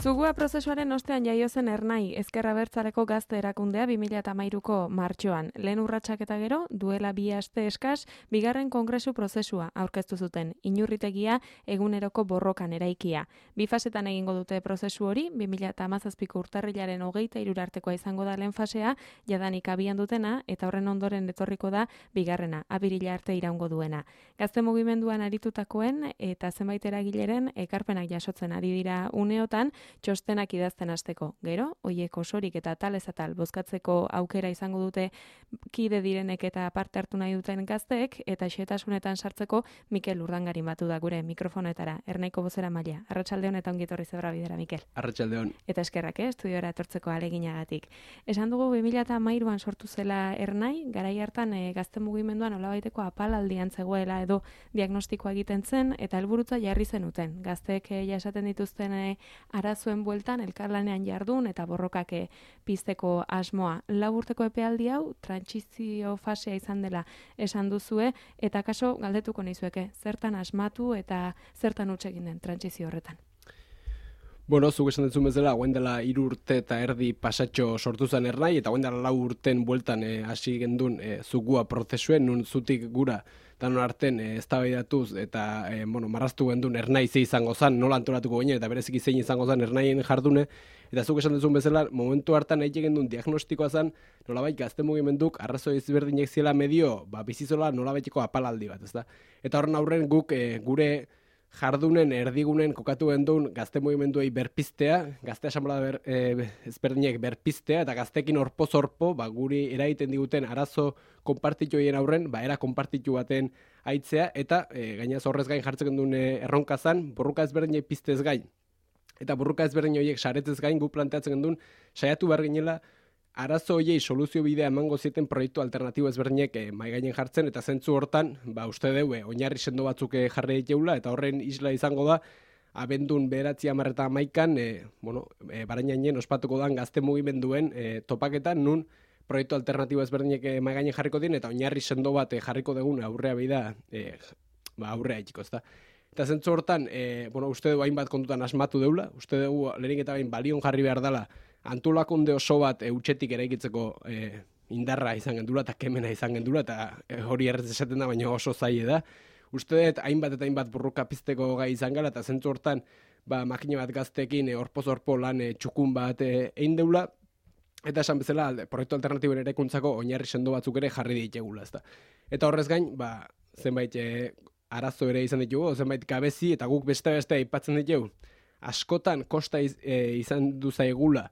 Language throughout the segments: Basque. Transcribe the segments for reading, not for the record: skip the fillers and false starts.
Zugua prozesuaren ostean jaio zen Ernai, Ezker Abertzaleko gazte erakundea 2013ko martxoan. Lehen urratsak eta gero, duela 2 aste eskas, bigarren kongresu prozesua aurkeztu zuten. Inurritegia eguneroko borrokan eraikia. 2 fasetan egingo dute prozesu hori, 2017ko urtarrilaren 23 artekoa izango da lehen fasea, jadanik abian dutena, eta horren ondoren etorriko da bigarrena, apirila arte iraungo duena. Gazte mugimenduan aritutakoen eta zenbait eragileren ekarpenak jasotzen ari dira uneotan, txostenak idazten hasteko. Gero, hoiek osorik eta atalez atal bozkatzeko aukera izango dute kide direnek eta parte hartu nahi duten gazteek, eta xehetasunetan sartzeko Mikel Urdangarin batu da gure mikrofonetara. Ernaiko bozeramailea. Arratsaldeon eta ongi etorri Zebra Bidera, Mikel. Arratsaldeon. Eta eskerrak, estudiora etortzeko aleginagatik. Esan dugu 2013an sortu zela Ernai, garai hartan gazte mugimenduan nolabaiteko apalaldian zegoela edo diagnostikoa egiten zen eta helburutza jarri zenuten. Gazteek jasaten dituzten arazuen bueltan elkarlanean jardun eta borrokak pizteko asmoa. 4 urteko epealdi hau trantsizio fasea izan dela esan duzue, eta kaso galdetuko nizueke, zertan asmatu eta zertan huts egin den trantsizio horretan? Bueno, zuk esan duzun bezala, hauen dela 3 urte eta erdi pasatxo sortu zen Ernai, eta hauen dela 4 urten bueltan hasi gendun zugua prozesuen, nun zutik gura danon arten eztabaidatuz eta marraztu gendun Ernai ze izango zen, nola antolatuko ginen, eta bereziki zein izango zen Ernaien jardune, eta zuk esan duzun bezala, momentu hartan egin gendun diagnostikoa zen, nolabait gazte mugimenduk arrazoi ezberdinek ziela medio, bizizola nolabaiteko apalaldi bat, ezta? Eta horren aurren guk gure jardunen erdigunen kokatu gendun gazte mugimenduei berpiztea, gazte asamblea ezberdinek berpiztea, eta gaztekin orpo-zorpo, guri eragiten diguten arazo konpartitioien aurren, era konpartitu baten aitzea, eta gainaz horrez gain jartzen gendun erronka zan, borruka ezberdinek piztez gain. Eta borruka ezberdin horiek saretez gain guk planteatzen gendun, saiatu behar ginela, arazo horiei soluzio bidea emango zieten proiektu alternatibo ezberdinek mahai gainen jartzen, eta zentzu hortan, uste deue, oinarri sendo batzuk jarri diteula, eta horren isla izango da, abendun 9/11an, Barainainen ospatuko dan gazte mugimenduen topaketan, nun proiektu alternatibo ezberdinek mahai gainen jarriko dien, eta oinarri sendo bat jarriko dugun aurrea bida, aurrea itxiko, ezta. Eta zentzu hortan, uste dugu hainbat kontutan asmatu deula, uste dugu lehenik eta bain balion jarri behar dela, antolakunde oso bat utxetik eraikitzeko indarra izan gendula eta kemena izan gendula, eta hori errez esaten da, baina oso zaie da. Uste dut hainbat eta hainbat burruka pizteko gai izan gala, eta zentzu hortan makine bat gaztekin orpo-zorpo lan txukun bat egin deula, eta esan bezala proiektu alternatiboen eraikuntzako oinarri sendo batzuk ere jarri ditegula, ezta. Eta horrez gain, zenbait arazo ere izan ditugu, zenbait gabezi, eta guk beste aipatzen ditugu. Askotan kosta izan duzaigula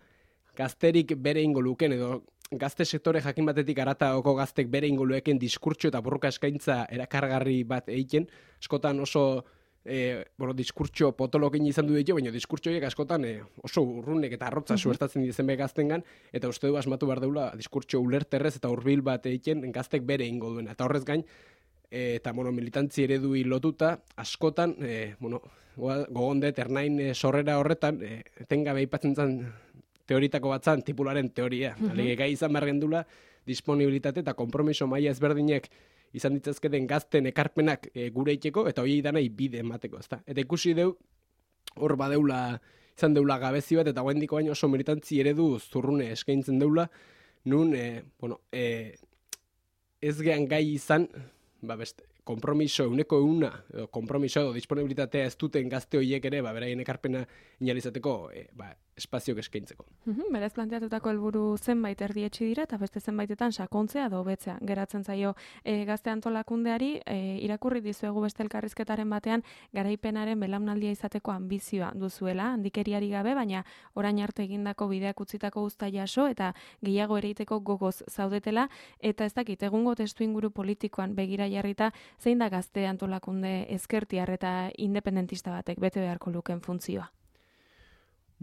gazterik bere ingo luken, edo gazte sektore jakin batetik arataoko gaztek bere ingo lueken diskurtso eta borroka eskaintza erakargarri bat egiten. Askotan oso diskurtso potolokin izan du ditu, baina diskurtso horiek askotan oso urrunek eta arrotza suertatzen dizen be gaztengan, eta uste du asmatu behar deula diskurtso ulerterrez eta hurbil bat egiten gaztek bere ingo duena. Eta horrez gain, eta militantzi eredui lotuta, askotan, gogondet Ernain sorrera horretan, etengabe aipatzen zen teoritako batzan, tipularen teoria. Alege gai izan behar gendula, disponibilitate eta konpromiso maila ezberdinek izan ditzazketen gazten ekarpenak gure iteko, eta hori danai bide emateko, ezta. Eta ikusi deu, hor badeula, izan deula gabezi bat, eta guendiko baino oso militantzi eredu zurrune eskaintzen deula, nun, ez gehan gai izan, kompromiso, euneko euna, kompromiso edo disponibilitatea ez duten gazte horiek ere, beraien ekarpena inalizateko espazioak eskaintzeko. Berez planteatutako helburu zenbait erdietsi dira, eta beste zenbaitetan sakontzea edo hobetzea geratzen zaio gazte antolakundeari. Irakurri dizuegu beste elkarrizketaren batean, garaipenaren belaunaldia izateko ambizioa duzuela, handikeriari gabe, baina orain arte egindako bideak utzitako uzta jaso, eta gehiago ereiteko gogoz zaudetela, eta ez dakit, egungo testuinguru politikoan begira jarrita, zein da gazte antolakunde ezkertiar eta independentista batek bete beharko luken funtzioa?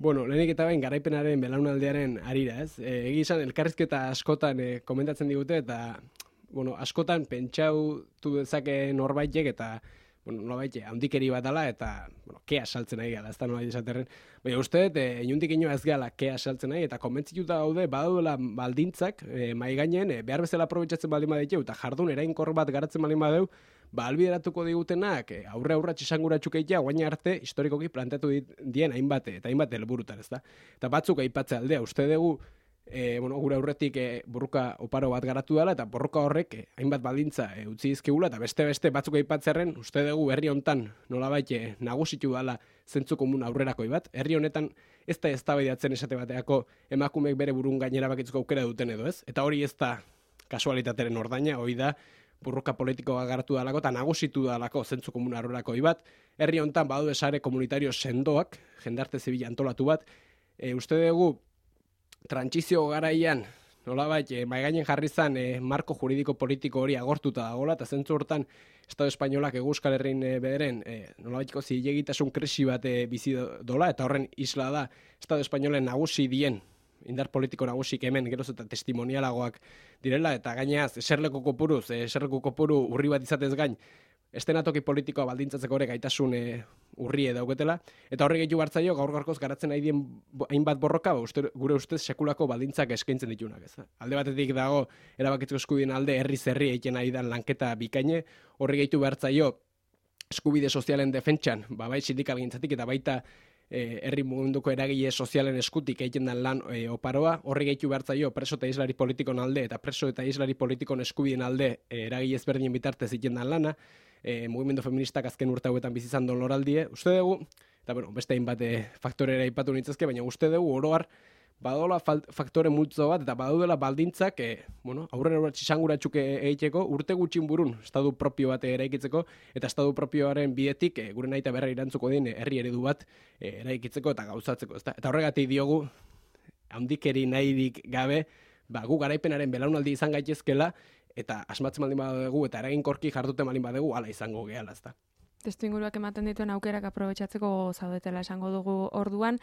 Lehenik eta bain garaipenaren belaunaldiaren arira, ez? Egi izan, elkarrizketa askotan komentatzen digute, eta askotan pentsautu dezake norbaitek, eta nolabait, handikeri bat dela, eta kea saltzen nahi gala, ez da nolabait esaterren. Baina uste, inundik ino ez gala kea saltzen nahi, eta konbentzituta daude, badaudela baldintzak, mai gainen, behar bezala aprobetxatzen baldin badeteu, eta jardun erainkor bat garatzen baldin badeu, albideratuko digutenak aurre-aurratx esanguratsuk egitea guaina arte historikoki planteatu dien hainbat helburutan, ezta? Eta batzuk aipatzea aldea, uste dugu gure aurretik borroka oparo bat garatu dela, eta borroka horrek hainbat baldintza utzi dizkigula, eta beste batzuk aipatzearen, uste dugu herri hontan nolabait nagusitu dela zentzu komun aurrerakoi bat. Herri honetan ez da eztabaidatzen esate bateako emakumeek bere burun gainera bakitzeko aukera duten edo ez, eta hori ez da kasualitateren ordaina, hori da borroka politikoa garatu dalako eta nagusitu dalako zentzu komun aurrerakoi bat. Herri hontan badaude sare komunitario sendoak, jendarte zibila antolatu bat, uste dugu trantsizio garaian nolabait maigainen jarri zan marko juridiko politiko hori agortuta dagoela, eta zentzu hortan Estado Espainolak Euskal Herrin bederen nolabaiteko zilegitasun krisi bat bizi dola, eta horren isla da Estado Espainolen nagusi dien indar politiko nagusik hemen geroz eta testimonialagoak direla, eta gainaz eserleku kopuru urri bat izatez gain estenatoki politikoa baldintzatzeko ere gaitasun urrie dauketela, eta horri gehiago hartzaio gaur-gaurkoz garatzen nahi dien hainbat borroka, gure ustez sekulako baldintzak eskaintzen ditunak. Ez. Alde batetik dago erabakitzeko eskubideen alde herri egiten nahi dan lanketa bikaine, horri gehiago hartzaio eskubide sozialen defentsan, bai sindikal gintzatik eta baita herri munduko eragile sozialen eskutik egiten den lan oparoa, horri gehiago hartzaio preso eta islari politikon alde eta preso eta islari politikon eskubideen alde eragile ezberdinen bitartez egiten den lana, mugimendu feministak azken urte hauetan bizi izan doloraldie, uste dugu, eta beste hainbat faktorera aipatu nitzazke, baina uste dugu oroar badola faktore multzo bat, eta badaudela baldintzak aurrera txisanguratsuk egiteko, urte gutxin burun estadu propio bat eraikitzeko, eta estadu propioaren bidetik gure nahi eta berra irantzuko den herri eredu bat eraikitzeko eta gauzatzeko. Eta horregatik diogu, handikeri nahirik gabe, gu garaipenaren belaunaldi izan gaitezkela, eta asmatzen baldin badugu eta eraginkorki jarduten baldin badugu hala izango gehala, ezta. Testuinguruak ematen dituen aukerak aprobetxatzeko zaudetela esango dugu orduan,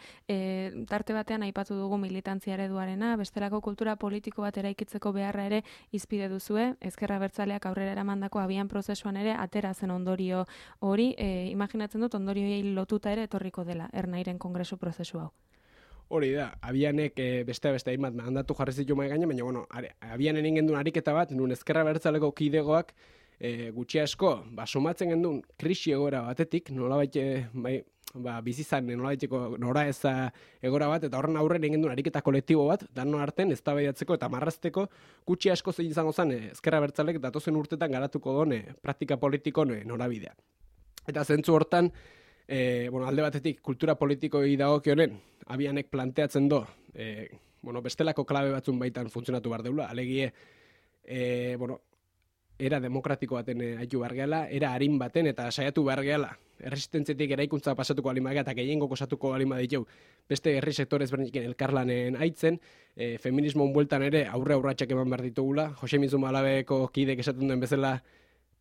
tarte batean aipatu dugu militantzia ereduarena, bestelako kultura politiko bat eraikitzeko beharra ere izpide duzue, Ezker Abertzaleak aurrera eramandako abian prozesuan ere atera zen ondorio hori, imaginatzen dut ondorioei lotuta ere etorriko dela Ernairen kongresu prozesu hau. Hori da, abianek beste hainbat mandatu jarri zitu mai gaine, baina abianen ingendun ariketa bat, nun Ezker Abertzaleko kidegoak gutxi asko, somatzen gendun krisi egoera batetik, nolabait bizizan nolabaiteko nora eza egora bat, eta horren aurren ingendun ariketa kolektibo bat, danon arten eztabaidatzeko eta marrazteko gutxi asko zein izango zen Ezker Abertzalek datozen urtetan garatuko done praktika politikon norabidea. Eta zentzu hortan, alde batetik kultura politikoi dagokionen abianek planteatzen do bestelako klabe batzun baitan funtzionatu behar deula, alegie era demokratiko baten haitu behar gehala, era harin baten eta saiatu behar gehala erresistentziatik eraikuntza pasatuko alimagea eta gehiengo kosatuko alima ditu beste herri sektore ezberdinekin elkarlanen aitzen, feminismo bueltan ere aurratsak eman behar ditugula, Jose Mizu Malabeko kidek esaten duen bezala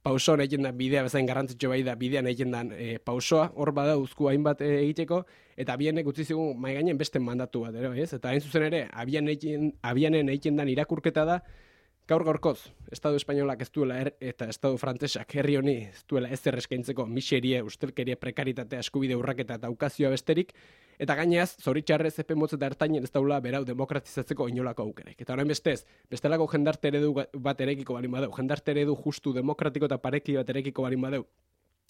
pausoan egiten da bidea bezain garrantzitsu bai da bidean egiten dan pausoa, hor bada uzku hainbat egiteko, eta abienek utzi zigun mai gainen beste mandatu bat ere, ez? Eta hain zuzen ere, abianen egiten dan irakurketa da, gaur-gaurkoz, Estadu Espainolak ez duela eta Estadu Frantsesak herri honi ez duela ezer eskaintzeko miserie, ustelkeria, prekaritatea, eskubide urraketa eta ukazioa besterik, eta gainez, zoritxarrez epe motz eta ertainen ez daula berau demokratizatzeko inolako aukerek. Eta orain bestez, bestelako jendarte eredu bat erekiko balin badeu, jendarte eredu justu demokratiko eta pareki bat erekiko balin badeu,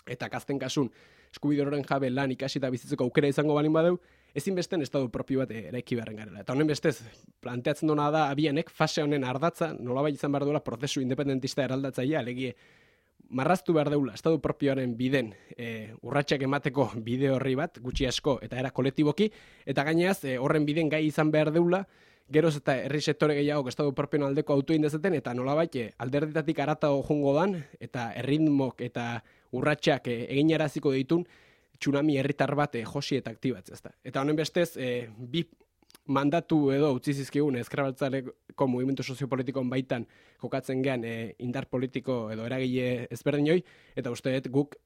eta kazten kasun eskubide horren jabe lan ikasi eta bizitzeko aukera izango balin badeu, ezinbesten estadu propio bat eraiki beharren garela. Eta honen bestez, planteatzen dona da abianek fase honen ardatza, nolabait izan behar duela prozesu independentista eraldatzailea, alegie marraztu behar deula estadu propioaren biden urratsak emateko bide horri bat, gutxi asko eta era kolektiboki, eta gaineaz horren biden gai izan behar deula, geroz eta herri sektore gehiago estadu propioen aldeko autuin dezeten, eta nolabait alderditatik aratago jungo dan, eta erritmok eta urratsak eginaraziko ditun, tsunami herritar bat josi eta aktibatzea. Eta honen bestez, bi mandatu edo utzi zizkigun Ezker Abertzaleko mugimendu soziopolitikon baitan jokatzen gean indar politiko edo eragile ezberdinoi, eta uste dut guk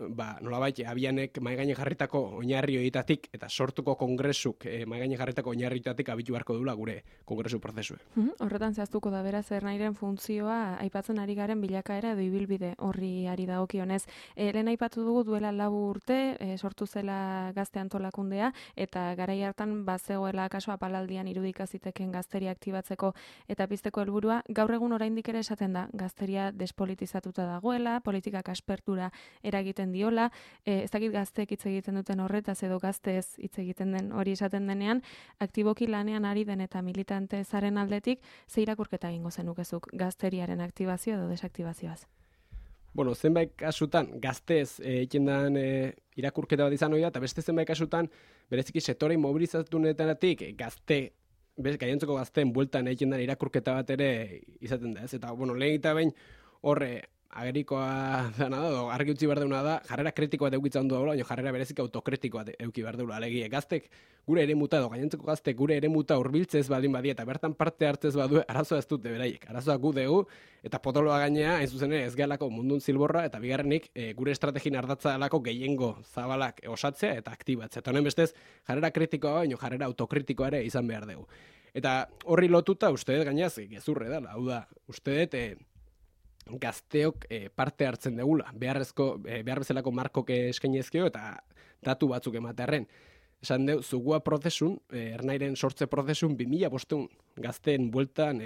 nolabait abianek mahaigainen jarritako oinarri horietatik eta sortuko kongresuk mahaigainen jarritako oinarri horietatik abitu beharko dula gure kongresu prozesue. Horretan zehaztuko da beraz Ernairen funtzioa aipatzen ari garen bilakaera edo ibilbide horri ari dagokionez. Lehen aipatu dugu duela 4 urte sortu zela gazte antolakundea, eta garai hartan bazegoela kaso apalaldi aspaldian irudika ziteken gazteria aktibatzeko eta pizteko helburua, gaur egun oraindik ere esaten da, gazteria despolitizatuta dagoela, politikak aspertura eragiten diola, ez dakit gazteek hitz egiten duten horretaz edo gazteez hitz egiten den hori esaten denean, aktiboki lanean ari den eta militante zaren aldetik, ze irakurketa egingo zenukezuk gazteriaren aktibazio edo desaktibazioaz? Bueno, zenbait kasutan gaztez egiten den irakurketa bat izan hori da, eta beste zenbait kasutan bereziki sektore mobilizatunetik gainontzeko gazteen bueltan egiten den irakurketa bat ere izaten da, ez? Eta, bueno, lehen eta behin horre agerikoa dana da, argi utzi behar deuna da, jarrera kritiko bat eukitzen du daula, baina jarrera berezik autokritiko bat euki behar deula. Alegia, gaztek gure eremuta edo gainontzeko gaztek gure eremuta hurbiltzez baldin badia eta bertan parte hartzez badu, arazoa ez dute beraiek. Arazoa gu dugu eta potoloa gainea, hain zuzen ez gehalako mundun zilborra eta bigarrenik gure estrategin ardatza dalako gehiengo zabalak osatzea eta aktibatzea. Eta honen bestez, jarrera kritikoa baino jarrera autokritikoa ere izan behar dugu. Eta horri lotuta uste dut gainaz gezurre dela, hau da, uste dut gazteok parte hartzen degula, behar bezalako markok eskainezkio eta datu batzuk ematearren. Esan deu, zugua prozesun, ernairen sortze prozesun 2005 gazteen bueltan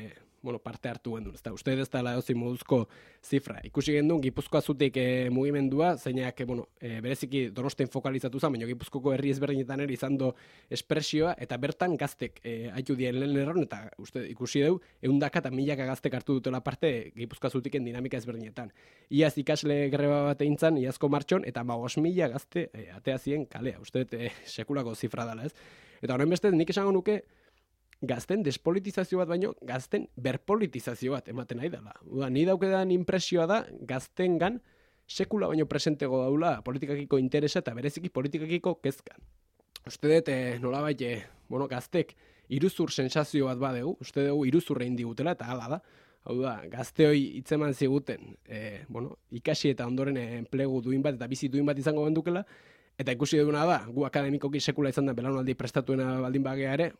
parte hartu gendun. Uste ez da laozi moduzko zifra. Ikusi gendun, Gipuzkoa zutik mugimendua, zeinak bereziki Donostian fokalizatu zen, baina Gipuzkoko herri ezberdinetan ere izan do espresioa, eta bertan gaztek haitu dien lehen erron, eta ikusi deu, 100 eta 1000 gaztek hartu dutela parte Gipuzkoa zutiken dinamika ezberdinetan. Iaz ikasle greba bat eintzan, iazko martxon, eta 5.000 gazte atea zien kalea. Uste sekulako zifra dela, ez? Eta horren beste, nik esango nuke, gazten despolitizazio bat baino, gazten berpolitizazio bat ematen nahi dela. Ni daukedan impresioa da, gaztengan sekula baino presentego daula politikakiko interesa eta bereziki politikakiko kezka. Uste dut, nolabait, gaztek iruzur sensazio bat badegu, uste dugu iruzurre indigutela eta hala da. Hau da, gazteoi hitzeman ziguten, ikasi eta ondoren enplegu duin bat eta bizi duin bat izango bendukela, eta ikusi duguna da, gu akademikoki sekula izan da belaunaldi prestatuena baldin bagea ere,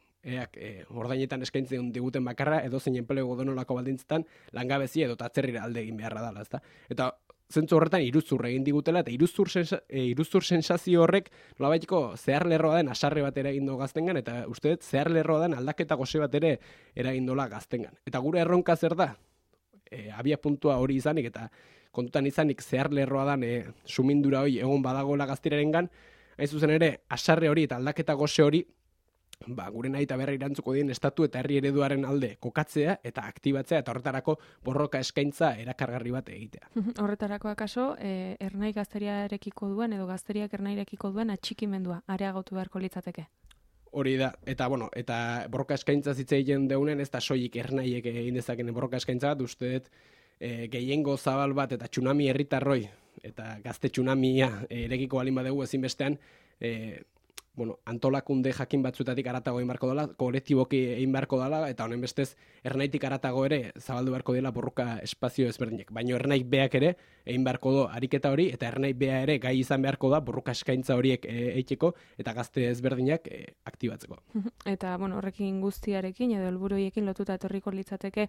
ordainetan eskaintzen diguten bakarra, edo zein enplegu donolako baldintzetan, langabezi edo atzerrira alde egin beharra dela, ezta? Eta zentzu horretan iruzur egin digutela, eta iruzur sensazio horrek nolabaiteko zehar lerroa den asarre bat eragin du gaztengan, eta uste dut zehar lerroa den aldaketa goze bat ere eragin dola gaztengan. Eta gure erronka zer da? Abia puntua hori izanik, eta kontutan izanik zehar lerroa dan sumindura hori egon badagoela gaztirarengan, hain zuzen ere, asarre hori eta aldaketa goze hori, gure nahi eta berra irantzuko dien estatu eta herri ereduaren alde kokatzea eta aktibatzea eta horretarako borroka eskaintza erakargarri bat egitea. Horretarako akaso, ernai gazteriarekiko duen edo gazteriak ernairekiko duen atxikimendua areagotu beharko litzateke? Hori da, eta borroka eskaintza zitza egiten deunen, ez da soilik ernaiek egin dezaken borroka eskaintza bat, uste dut, gehiengo zabal bat eta tsunami herritarroi eta gazte tsunamia erekiko balin badegu ezinbestean antolakunde jakin batzuetatik aratago egin beharko dela, kolektiboki egin beharko dela, eta honen bestez ernaitik aratago ere zabaldu beharko dela borroka espazio ezberdinek. Baina ernaik beak ere egin beharko do ariketa hori, eta ernaik bea ere gai izan beharko da borroka eskaintza horiek eiteko eta gazte ezberdinak aktibatzeko. Eta horrekin guztiarekin edo helburuekin lotuta etorriko litzateke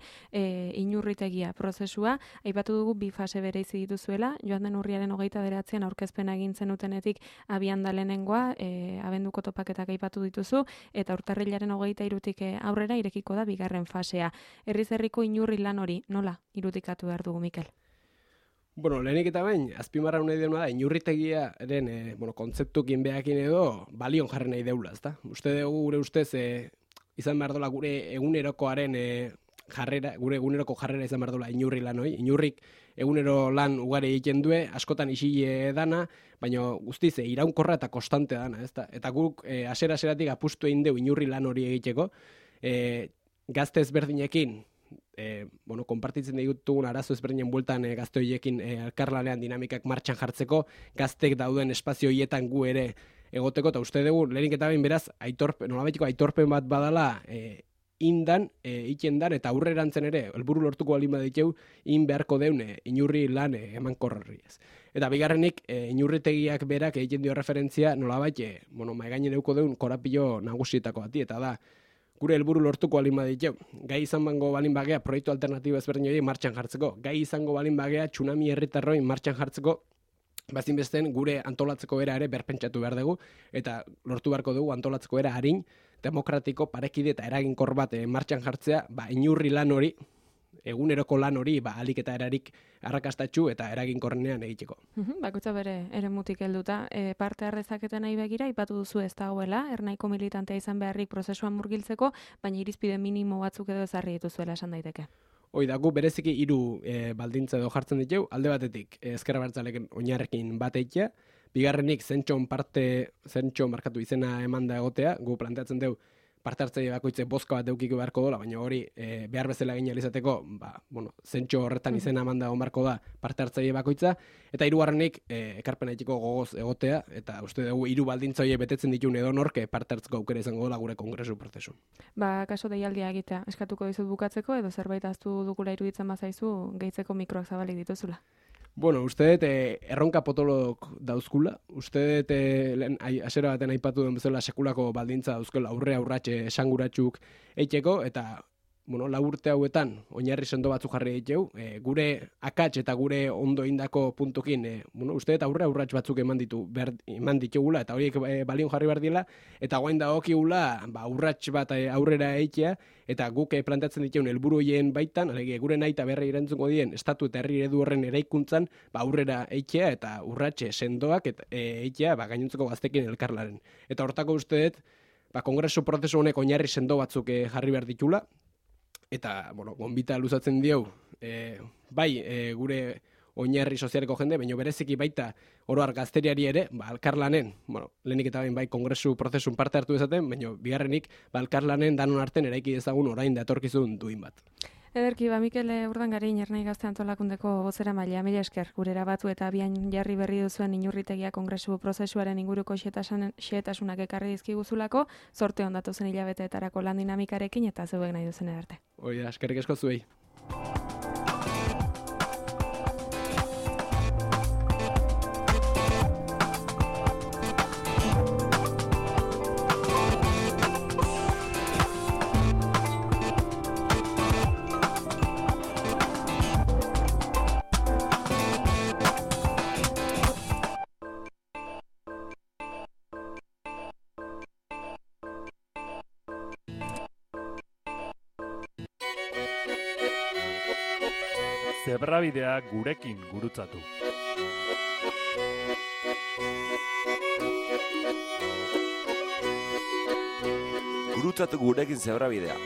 inurritegia prozesua, aipatu dugu bi fase bereizi dituzuela, joan den urriaren 29an aurkezpena egin zenutenetik abian da lehenengoa, abenduko topaketak aipatu dituzu, eta urtarrilaren 23tik aurrera irekiko da bigarren fasea. Herriz herriko inurri lan hori, nola irudikatu behar dugu, Mikel? Lehenik eta behin, azpimarra nahi deuna da, inurritegiaren kontzeptukin behakin edo balion jarri nahi deula, ezta? Uste dugu gure ustez izan behar dola gure egunerokoaren gure eguneroko jarrera izan behar dola inurri lan hori. Inurrik egunero lan ugari egiten due, askotan isile dana, baina guztiz iraunkorra eta konstante dana, ezta? Eta guk aseratik apustu egin deu inurri lan hori egiteko, gazte ezberdinekin, konpartitzen ditugun arazo ezberdinen bueltan gazte horiekin elkarlanean dinamikak martxan jartzeko, gaztek dauden espazio horietan gu ere egoteko, eta uste dugu, lehenik eta behin beraz, nolabaiteko aitorpen bat badala indan, ikendan, eta aurrerantzen ere, helburu lortuko balin baditeu, beharko deun inurri lan emankorrari ez. Eta bigarrenik, inurritegiak berak egiten dio referentzia, nolabait, maigainen euko deun korapilo nagusietako bati, eta da, gure helburu lortuko balin baditeu. Gai izan bango balin bagea proiektu alternatibo ezberdin hori martxan jartzeko. Gai izango balin bagea tsunami herritarroi martxan jartzeko Bazinbesten gure antolatzeko era ere berpentsatu behar dugu, eta lortu beharko dugu antolatzeko era harin, demokratiko, parekide eta eraginkor bat martxan jartzea, inurri lan hori, eguneroko lan hori, alik eta erarik arrakastatxu eta eraginkorrenean egiteko. Bakoitza bere eremutik helduta, parte harrezaketen nahi begira, ipatu duzu ez dagoela, ernaiko militantea izan beharrik prozesuan murgiltzeko, baina irizpide minimo batzuk edo ezarri dituzuela esan daiteke. Hoi da, gu bereziki 3 baldintza edo jartzen ditu, alde batetik ezker abertzaleken oinarrekin bat eitea, bigarrenik zentxo markatu izena emanda egotea, gu planteatzen dugu parte hartzaile bakoitze bozka bat deukiko beharko dola, baina hori behar bezala egin alizateko, zentxo horretan izena emanda onbarko da parte hartzaile bakoitza, eta hirugarrenik ekarpen egiteko gogoz egotea, eta uste dugu 3 baldintza horiek betetzen ditun edonork parte hartzeko aukera izango dola gure kongresu prozesu. Kaso deialdia egitea, eskatuko dizut bukatzeko, edo zerbait ahaztu dugula iruditzen bazaizu, gehitzeko mikroak zabalik dituzula. Bueno, uste dut erronka potolok dauzkula, uste dut asera baten aipatu den bezala sekulako baldintza dauzkela aurratxe esanguratsuk eiteko, eta 4 urte hauetan oinarri sendo batzu jarri diteu, gure akats eta gure ondo indako puntukin, uste dut aurrats batzuk eman ditugula, eta horiek balion jarri behar dila, eta guain da okigula urrats bat aurrera eitea, eta guk planteatzen dituen helburu horien baitan, gure nahi eta berri erantzungo dien estatu eta herri eredu horren eraikuntzan aurrera eitea eta urratxe sendoak eitea gainontzeko gaztekin elkarlaren. Eta hortako uste dut, kongresu prozesu honek oinarri sendo batzuk jarri behar ditula, eta, gonbita luzatzen dieu, gure oinarri sozialeko jende, baina bereziki baita oroar gazteriari ere, elkarlanen, lehenik eta bain kongresu prozesun parte hartu dezaten, baina bigarrenik, elkarlanen danon arten eraiki dezagun orain da etorkizun duin bat. Ederki, Mikel Urdangarin, Ernai Gazte Antolakundeko bozeramailea, mila esker, gurera batu eta abian jarri berri duzuen inurritegia kongresu prozesuaren inguruko xehetasunak ekarri dizkiguzulako, zorte ondatu zen hilabeteetarako lan dinamikarekin eta zeuek nahi duzen edarte. Hoi da, eskerrik asko zuei. Zebrabidea gurekin gurutzatu. Gurutzatu gurekin zebrabidea.